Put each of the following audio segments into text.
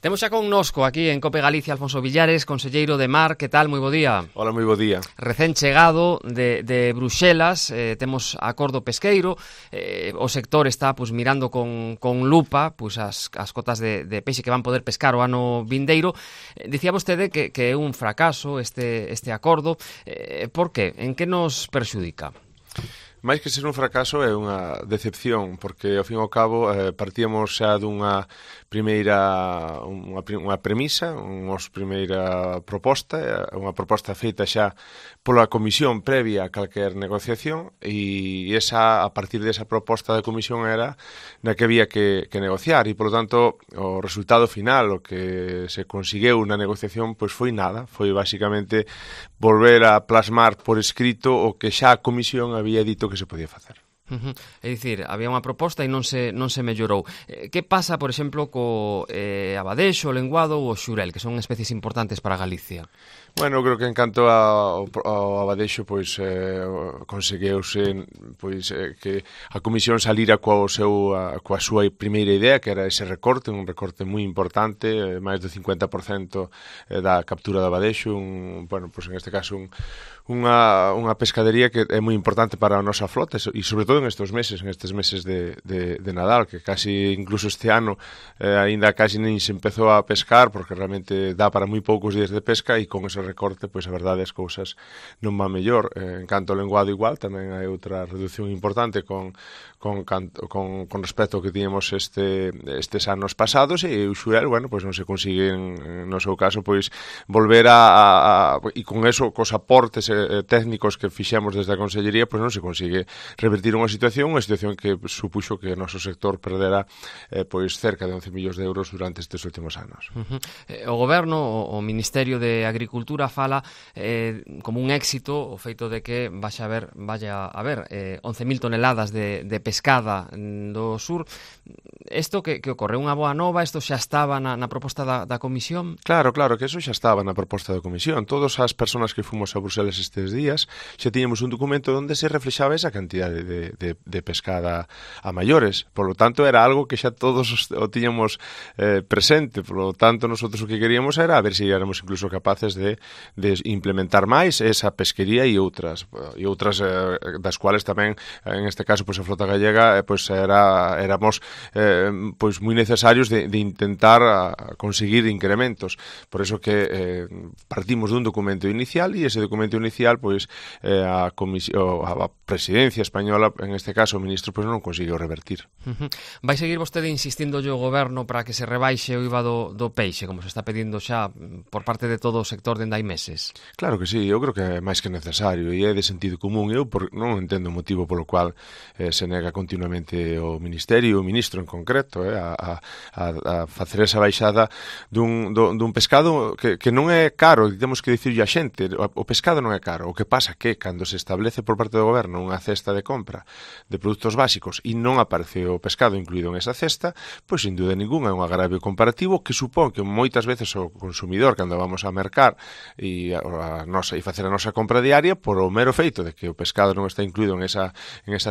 Temos xa connosco aquí en Cope Galicia Alfonso Villares, conselleiro de Mar. Que tal? Moi bo día. Hola, moi bo día. Recén chegado de Bruxelas, temos acordo pesqueiro, o sector está mirando con lupa as cotas de peixe que van poder pescar o ano vindeiro. Dicía vostede que é un fracaso este acordo. Por que? En que nos perxudica? Mais que ser un fracaso é unha decepción, porque ao fin e ao cabo partíamos xa dunha primeira unha premisa, unha primeira proposta, unha proposta feita xa pola comisión previa a calquer negociación, e esa, a partir desa proposta da comisión era na que había que negociar, e polo tanto o resultado final, o que se conseguiu na negociación, pois foi nada, foi basicamente volver a plasmar por escrito o que xa a comisión había dito que se podía facer. É dicir, había unha proposta e non se mellorou. Que pasa, por exemplo, co abadexo, o lenguado ou o xurel, que son especies importantes para Galicia? Bueno, creo que en canto ao abadexo, pois conseguiuse que a comisión salira coa súa primeira idea, que era ese recorte, un recorte moi importante, máis do 50% da captura do abadexo, pois en este caso unha pescadería que é moi importante para a nosa flota, e sobre todo nestes meses de Nadal, que casi incluso este ano aínda casi nin se empezou a pescar, porque realmente dá para moi poucos días de pesca, e con ese recorte, pois a verdade as cousas non van mellor. En canto ao lenguado igual, tamén hai outra reducción importante con respecto ao que tiñamos estes anos pasados, e o xurel, pois non se consigue no seu caso, pois volver e con eso, cos aportes técnicos que fixemos desde a Consellería, pois non se consigue revertir unha situación que supuxo que o noso sector perdera pois cerca de 11 millóns de euros durante estes últimos anos. O Goberno, o Ministerio de Agricultura fala como un éxito o feito de que vaya a haber 11.000 toneladas de pescada do sur. Isto que ocorre? Unha boa nova? Isto xa estaba na proposta da Comisión? Claro, que eso xa estaba na proposta da Comisión. Todas as persoas que fomos a Bruxelas estes días xa tiñamos un documento onde se reflexaba esa cantidade de pescada a maiores. Por lo tanto, era algo que xa todos o tiñamos presente. Por lo tanto, nosotros o que queríamos era a ver se éramos incluso capaces de implementar máis esa pesquería e outras das cuales tamén, en este caso, pois a flota gallega, pois éramos pois moi necesarios de intentar conseguir incrementos. Por eso que partimos dun documento inicial, e ese documento inicial, pois a presidencia española, en este caso o ministro, pois non conseguiu revertir. Vai seguir vostede insistindo o Goberno para que se rebaixe o IVA do peixe, como se está pedindo xa por parte de todo o sector dende hai meses? Claro que sí, eu creo que é máis que necesario, e é de sentido común. Eu non entendo o motivo polo cual se nega continuamente o Ministerio, o ministro en concreto, a facer esa baixada dun pescado que non é caro. Temos que dicirlle a xente, o pescado non é caro. O que pasa que cando se establece por parte do Goberno unha cesta de compra de produtos básicos e non aparece o pescado incluído en esa cesta, pois sin dúda ninguna é un agravio comparativo que supón que moitas veces o consumidor, cando vamos a mercar e facer a nosa compra diaria, por o mero feito de que o pescado non está incluído en esa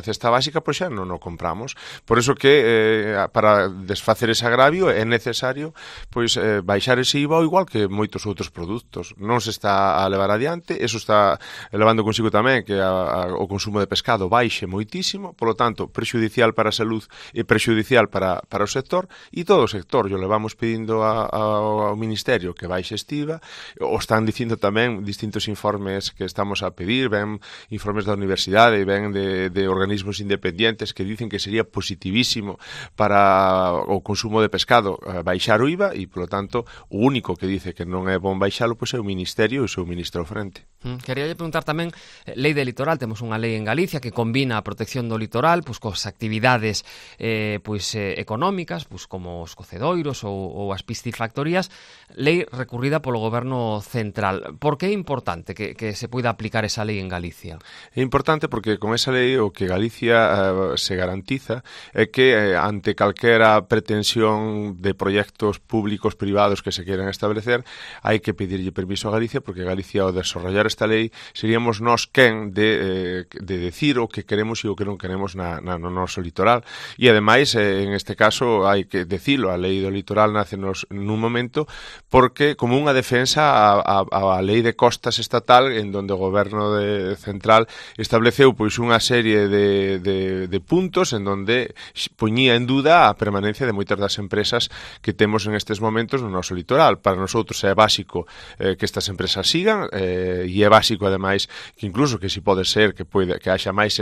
cesta básica, pois xa non o compramos. Por iso que para desfacer ese agravio é necesario pois baixar ese IVA, igual que moitos outros produtos. Non se está a levar adiante, eso está levando consigo tamén que o consumo de pescado baixe moitísimo, polo tanto, prexudicial para a salud e prexudicial para o sector, e todo o sector yo levamos pedindo ao Ministerio que baixe este IVA. O están dicindo tamén distintos informes que estamos a pedir, ven informes da universidade, ven de organismos independientes que dicen que sería positivísimo para o consumo de pescado baixar o IVA, e, polo tanto, o único que dice que non é bon baixalo pois é o Ministerio e o seu ministro ao frente. Queríalle preguntar tamén, lei de litoral, temos unha lei en Galicia que combina a protección do litoral pois cos actividades económicas, pois como os cocedoiros ou as piscifactorías, lei recurrida polo Goberno central. Por que é importante que se poida aplicar esa lei en Galicia? É importante porque con esa lei o que Galicia se garantiza é que ante calquera pretensión de proxectos públicos privados que se queiran establecer, hai que pedirlle permiso a Galicia, porque Galicia ao desarrollar esta lei seríamos nós quen de decir o que queremos e o que non queremos no noso litoral. E ademais, en este caso, hai que decilo, a lei do litoral nace nun momento porque como unha defensa a lei de costas estatal, en donde o goberno central estableceu pois unha serie de puntos en donde poñía en duda a permanencia de moitas das empresas que temos en estes momentos no noso litoral. Para nosotros é básico que estas empresas sigan, e é básico ademais que incluso que si pode ser que haxa máis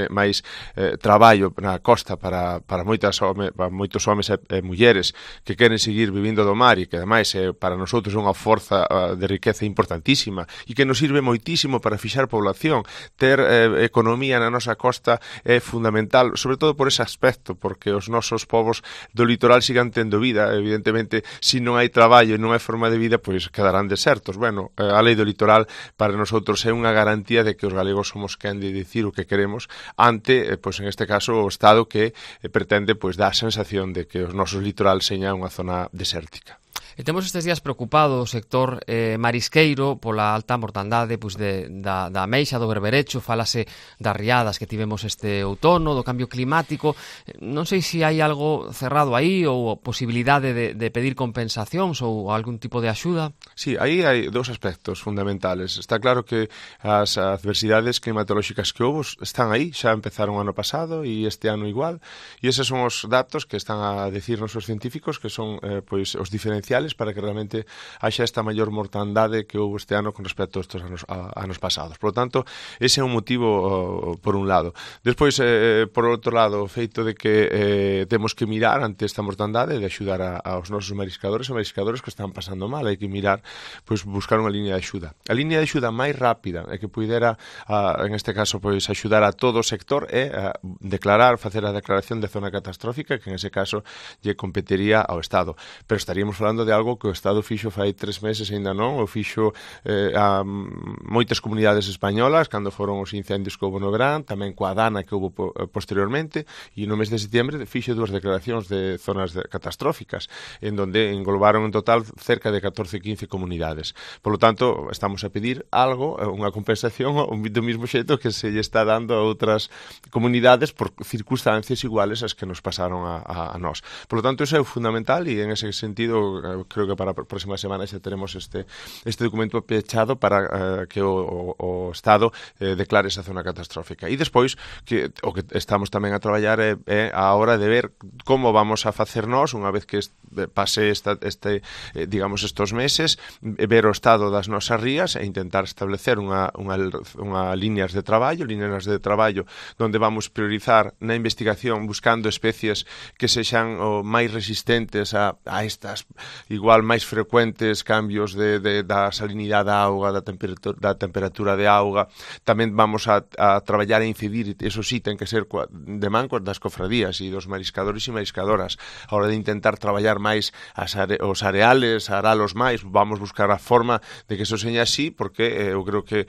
traballo na costa para moitos homes e mulleres que queren seguir vivindo do mar e que ademais para nosotros é unha forza de riqueza importantísima e que nos sirve moitísimo para fixar población. Ter economía na nosa costa é fundamental, sobre todo por ese aspecto, porque os nosos povos do litoral sigan tendo vida. Evidentemente, se non hai traballo e non hai forma de vida, pois quedarán desertos. Bueno, a lei do litoral para nosotros é unha garantía de que os galegos somos quen de dicir o que queremos ante, pois en este caso, o Estado que pretende pois dar a sensación de que os nosos litoral seña unha zona desértica. E temos estes días preocupado o sector marisqueiro pola alta mortandade da ameixa, do berberecho. Fálase das riadas que tivemos este outono, do cambio climático. Non sei se hai algo cerrado aí ou posibilidade de pedir compensacións ou algún tipo de axuda. Sí, aí hai dous aspectos fundamentales. Está claro que as adversidades climatolóxicas que houve están aí, xa empezaron o ano pasado e este ano igual, e eses son os datos que están a decirnos os científicos, que son pois os diferenciales para que realmente haxa esta maior mortandade que houve este ano con respecto a estes anos pasados. Por lo tanto, ese é un motivo por un lado. Despois, por outro lado, o feito de que temos que mirar ante esta mortandade de axudar aos nosos mariscadores e mariscadores que están pasando mal. Hai que mirar, pois, buscar unha liña de axuda. A liña de axuda máis rápida e que puidera, en este caso, pois, axudar a todo o sector é facer a declaración de zona catastrófica, que en ese caso lle competería ao Estado. Pero estaríamos falando de algo que o Estado fixo fai 3 meses e ainda non, o fixo a moitas comunidades españolas cando foron os incendios que houve no verán, tamén coa Dana que houve posteriormente, e no mes de setembro fixo 2 declaracións de zonas catastróficas, en donde englobaron en total cerca de 14-15 comunidades. Por lo tanto, estamos a pedir algo, unha compensación do mesmo xeito que se lle está dando a outras comunidades por circunstancias iguales as que nos pasaron a nós. Por lo tanto, eso é fundamental e en ese sentido creo que para a próxima semana xa teremos este documento pechado para que o Estado declare esa zona catastrófica. E despois, o que estamos tamén a traballar é a hora de ver como vamos a facer nós, unha vez que pase digamos estos meses, ver o estado das nosas rías e intentar establecer unha líneas de traballo donde vamos priorizar na investigación buscando especies que sexan máis resistentes a estas igual máis frecuentes cambios da salinidade da auga, da temperatura de auga. Tamén vamos a traballar e incidir, eso sí, ten que ser de man das cofradías e dos mariscadores e mariscadoras. A hora de intentar traballar máis os areales, aralos máis, vamos buscar a forma de que eso seña así, porque eu creo que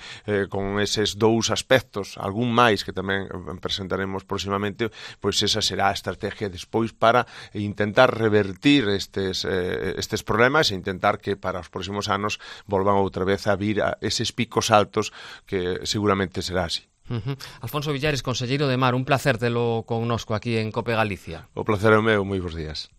con eses dous aspectos, algún máis que tamén presentaremos próximamente, pois esa será a estrategia despois para intentar revertir estes problemas e intentar que para os próximos anos volvan outra vez a vir a eses picos altos que seguramente será así. Alfonso Villares, conselleiro de Mar, un placer telo connosco aquí en Cope Galicia. O placer é o meu, moi bons días.